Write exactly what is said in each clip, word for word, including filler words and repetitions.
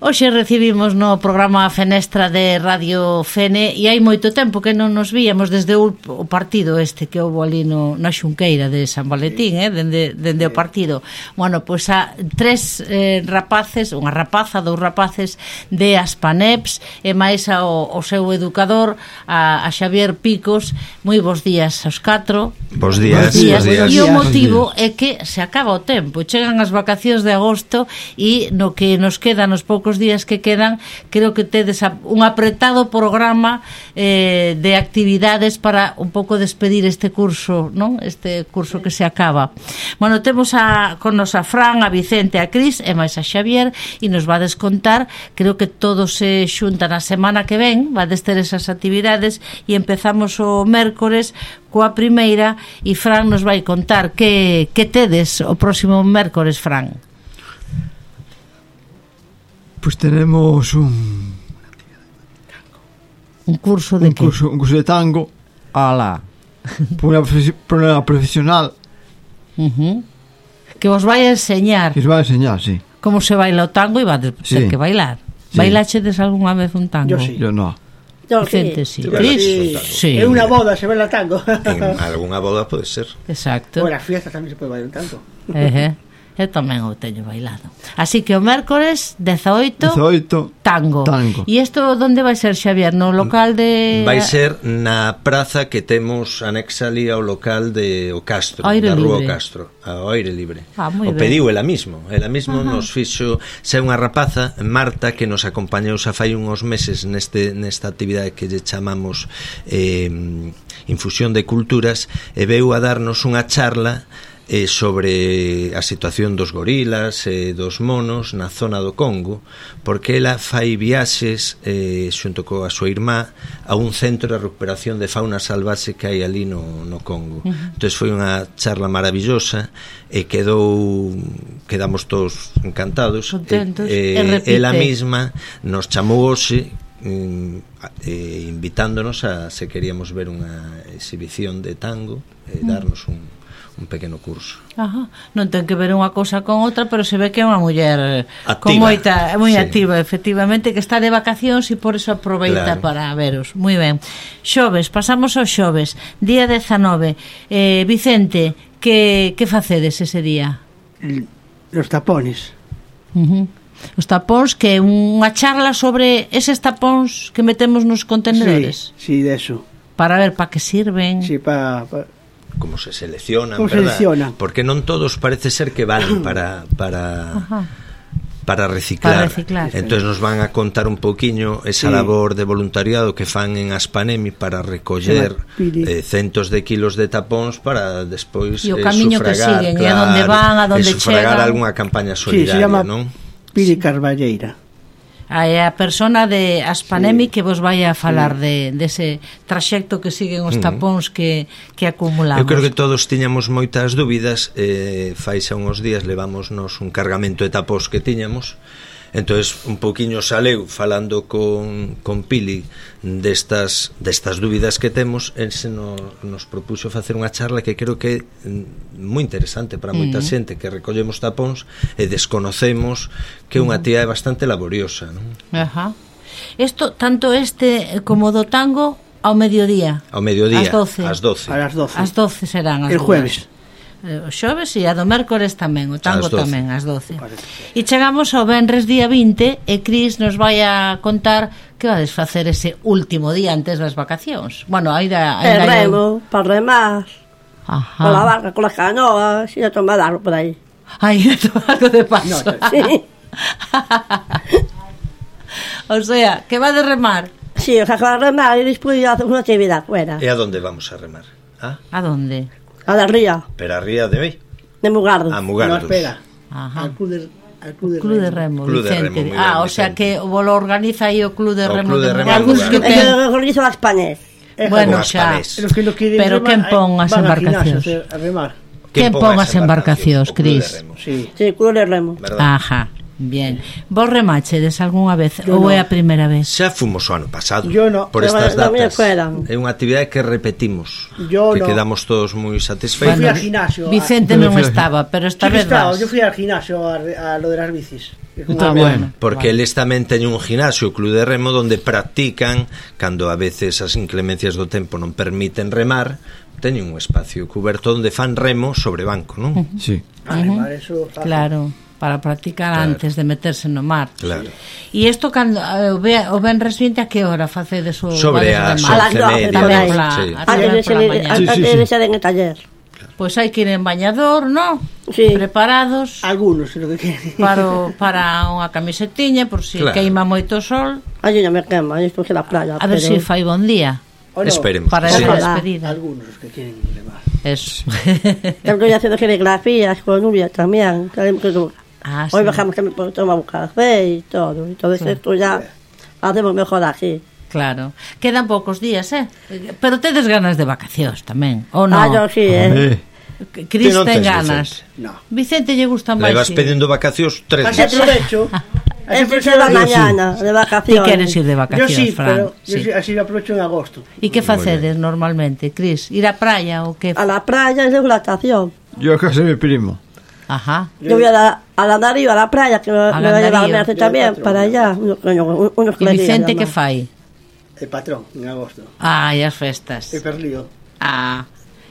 Hoxe recibimos no programa Fenestra de Radio Fene e hai moito tempo que non nos víamos desde o, o partido este que houve ali no, na Xunqueira de San Valentín, eh, dende, dende o partido. Bueno, pois a tres eh, rapaces, unha rapaza, dous rapaces de Aspaneps e máis ao, ao seu educador, a, a Xavier Picos. Moi bons días aos catro. Bos días, bos días. Bos días. E o motivo é que se acaba o tempo, chegan as vacacións de agosto e no que nos quedan nos poucos días que quedan, creo que tedes un apretado programa eh, de actividades para un pouco despedir este curso, non? Este curso que se acaba. Bueno, temos a, con nos a Fran, a Vicente, a Cris e máis a Xavier e nos vades contar, creo que todos se xuntan a semana que ven, vades ter esas actividades e empezamos o mércores coa primeira e Fran nos vai contar que, que tedes o próximo mércores, Fran. Pues tenemos un un curso de un curso, un curso de tango. Ala. Por una, por una profesional. Uh-huh. Que vos vai a enseñar. Que os vai a enseñar, sí. Como se baila o tango e vai ter sí. que bailar. Sí. Bailachedes algunha vez un tango? Yo sí. Yo no. Yo Vicente, sí. sí. Cris? Sí. Sí. En unha boda se baila tango. En algunha boda pode ser. Exacto. En la fiesta tamén se pode bailar un tango. Uh-huh. Eu tamén o teño bailado. Así que o mércores dezaoito, dezaoito tango. tango. E isto onde vai ser, Xavier? No local de... Vai ser na praza que temos anexa ali ao local de O Castro, aire da Rúa O libre. Castro, ao aire libre. Ah, moi o ben. pediu ela mismo, ela mismo Ajá. nos fixo, se unha rapaza, Marta, que nos acompañou xa fai uns meses neste nesta actividade que lle chamamos eh, Infusión de Culturas, e veu a darnos unha charla eh, sobre a situación dos gorilas e eh, dos monos na zona do Congo, porque ela fai viaxes eh, xunto coa súa irmá a un centro de recuperación de fauna salvaxe que hai ali no, no Congo. Uh-huh. Entón foi unha charla maravillosa e quedou quedamos todos encantados. Contentos. E, eh, ela mesma nos chamou hoxe eh, invitándonos a se queríamos ver unha exhibición de tango e darnos un un pequeno curso. Ajá. Non ten que ver unha cousa con outra, pero se ve que é unha muller activa, con moita, moi sí. activa, efectivamente, que está de vacacións e por eso aproveita claro. para veros. Moi ben. Xoves, pasamos ao xoves, día dezanove. Eh, Vicente, que que facedes ese día? Los tapones. Uh-huh. Os tapóns, que é unha charla sobre eses tapóns que metemos nos contenedores. Sí, sí, de eso. Para ver para que sirven. Sí, para... Pa... como se seleccionan, como verdad? seleccionan. Porque non todos parece ser que valen para para Ajá. para reciclar. Para reciclar. Entonces nos van a contar un poquiño esa sí. labor de voluntariado que fan en Aspanemi para recoller eh, centos de kilos de tapóns para despois e o eh, camiño sufragar, que siguen, claro, e a donde van, a donde e sufragar chegan. algunha campaña Sí, se solidaria, llama non? Pili Carballeira. A, a persona de Aspanemi sí. que vos vai a falar sí. de dese traxecto que siguen os tapóns que, que acumulamos. Eu creo que todos tiñamos moitas dúbidas, eh, fai xa uns días levámonos un cargamento de tapóns que tiñamos. Entonces un pouquiño saleu falando con, con Pili destas, destas dúbidas que temos. El se nos, nos propuxo facer unha charla que creo que é moi interesante para moita mm. xente que recollemos tapóns e desconocemos que é unha tía bastante laboriosa, non? Ajá. Isto, tanto este como do tango ao mediodía. Ao mediodía, ás doce. Ás doce. A las doce. Ás doce serán as el jueves. O xoves e a do mércores tamén, o tango tamén ás doce. Parece. E chegamos ao venres día vinte e Cris nos vai a contar que vades facer ese último día antes das vacacións. Bueno, aí da el remo, para remar. Ajá. Con la barca, con las canoas, y a tomar algo por ahí. Aí, a tomar algo de paso. No, Sí, O sea, que va de remar. sí, o sea, con remar y después hacer una actividad fuera. E a donde vamos a remar? Ah? A donde? A la ría, Pero a ría de hoy? de Mugardo. A No, Mugardos. espera. Ajá. Al club de, al club de, Club de Remo, Club de Vicente. Remo, muy ah, ben, o sea Vicente. que o lo organiza aí o Club de O Remo. Club de de Remo Mugardos. de que Mugardos. Es ten... que organizo las Españas. Bueno, Con xa. Aspanés. Los que no quieren Pero remar, quen pon as van al embarcacións? gimnasio A remar. Quen pon as embarcacións, O Club de Cris? Remo, Sí. Sí, Club de Remo. verdad? Ajá. Bien. Vos remachedes algunha vez Yo ou no. é a primeira vez? Xa fomos o ano pasado. Yo no. Por Yo estas no me datas. fueran. É unha actividade que repetimos. Yo que no. quedamos todos moi Yo satisfeitos. fui al gimnasio. Vicente Ah, non yo fui- estaba, pero esta Sí que vez estaba, vas. yo fui al gimnasio a, a lo de las bicis. Que como- Ah, bueno. Porque Vale. eles tamén teñen un ginasio, o Club de Remo, donde practican, cando a veces as inclemencias do tempo non permiten remar, teñen un espacio cuberto onde fan remo sobre banco, non? Sí. Vale, vale, eso fácil. Claro, para practicar Claro. antes de meterse no mar. Claro. E isto cando eh, o ve- o venres vinte a que hora facedes o Sobre vades as remar? A las once e doce media. tamén. Pola- Sí. a Antes de remar pola mañá. Sí, sí, antes sí. de ser en el taller. Pois hai que ir en bañador, ¿no? Sí. Preparados Algunos, lo que quieren. para, o- para unha camisetiña por si Claro. queima moito o sol. Allí non me quema, allí estou a la playa. A ver se si fai bon día ¿O no? Esperemos. para Sí. esa Ojalá. despedida. Algunos los que quieren remar. Eso. Estoy haciendo coreografías con Nuria también. que- que- Ah, Hoy sí. bajamos que me tomar un café y todo. Entonces Claro. esto ya hacemos mejor aquí. Claro. Quedan poucos días, eh? Pero tedes ganas de vacacións tamén, ou non? Ah, yo sí, ¿eh? Hombre, Cris Ti non ten tes, ganas. No. Vicente lle gustan máis. Levas sí. pedindo vacacións tres Así meses. aprovecho. Así Este se aprovecho. va mañana, de Ti vacaciones. queres ir de Yo vacacións, sí, Fran? pero yo Sí. sí, así lo aprovecho en agosto. E que facedes normalmente, Cris? Ir á praia ou que? A la playa es de natación. yo a casa de mi primo. Ajá. Yo voy a la, a la Darío, a la playa, que me, A me va a llevar Landarío. Merce Yo también, patrón. para allá. Unos, unos, unos E Vicente que fai? El patrón, en agosto. Ai, as festas. El perlío. Ah.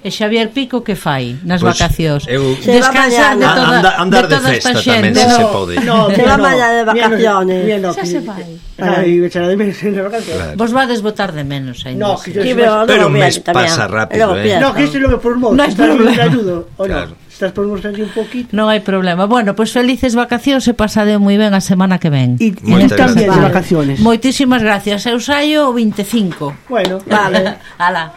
E Xavier Pico que fai nas Pois, vacacións? eu- Se va Descansar de mañana. toda, Anda- andar de de toda esta festa xente. tamén, se No. se pode. No, Se mira, va no. mañana de Mira, no- vacaciones. mira, no, Xa que- se vai. Ay, me echará de menos en las vacaciones. Claro. Vos vades votar de menos aí. No, que yo Sí, sí, pero Pero luego un mes viene también. pasa rápido, Luego ¿eh? piensa. No, que esto es lo que por modo. No hay si estás problema. te ayudo, ¿o no? Claro. Si estás por mostrarse un poquito. Non hai problema. Bueno, pois pues felices vacacións e pasadeo moi ben a semana que ven. Y, y Moitas tú también de gracias. vacaciones. Moitísimas gracias. Eu saio o veinticinco. Bueno, Vale. Ala.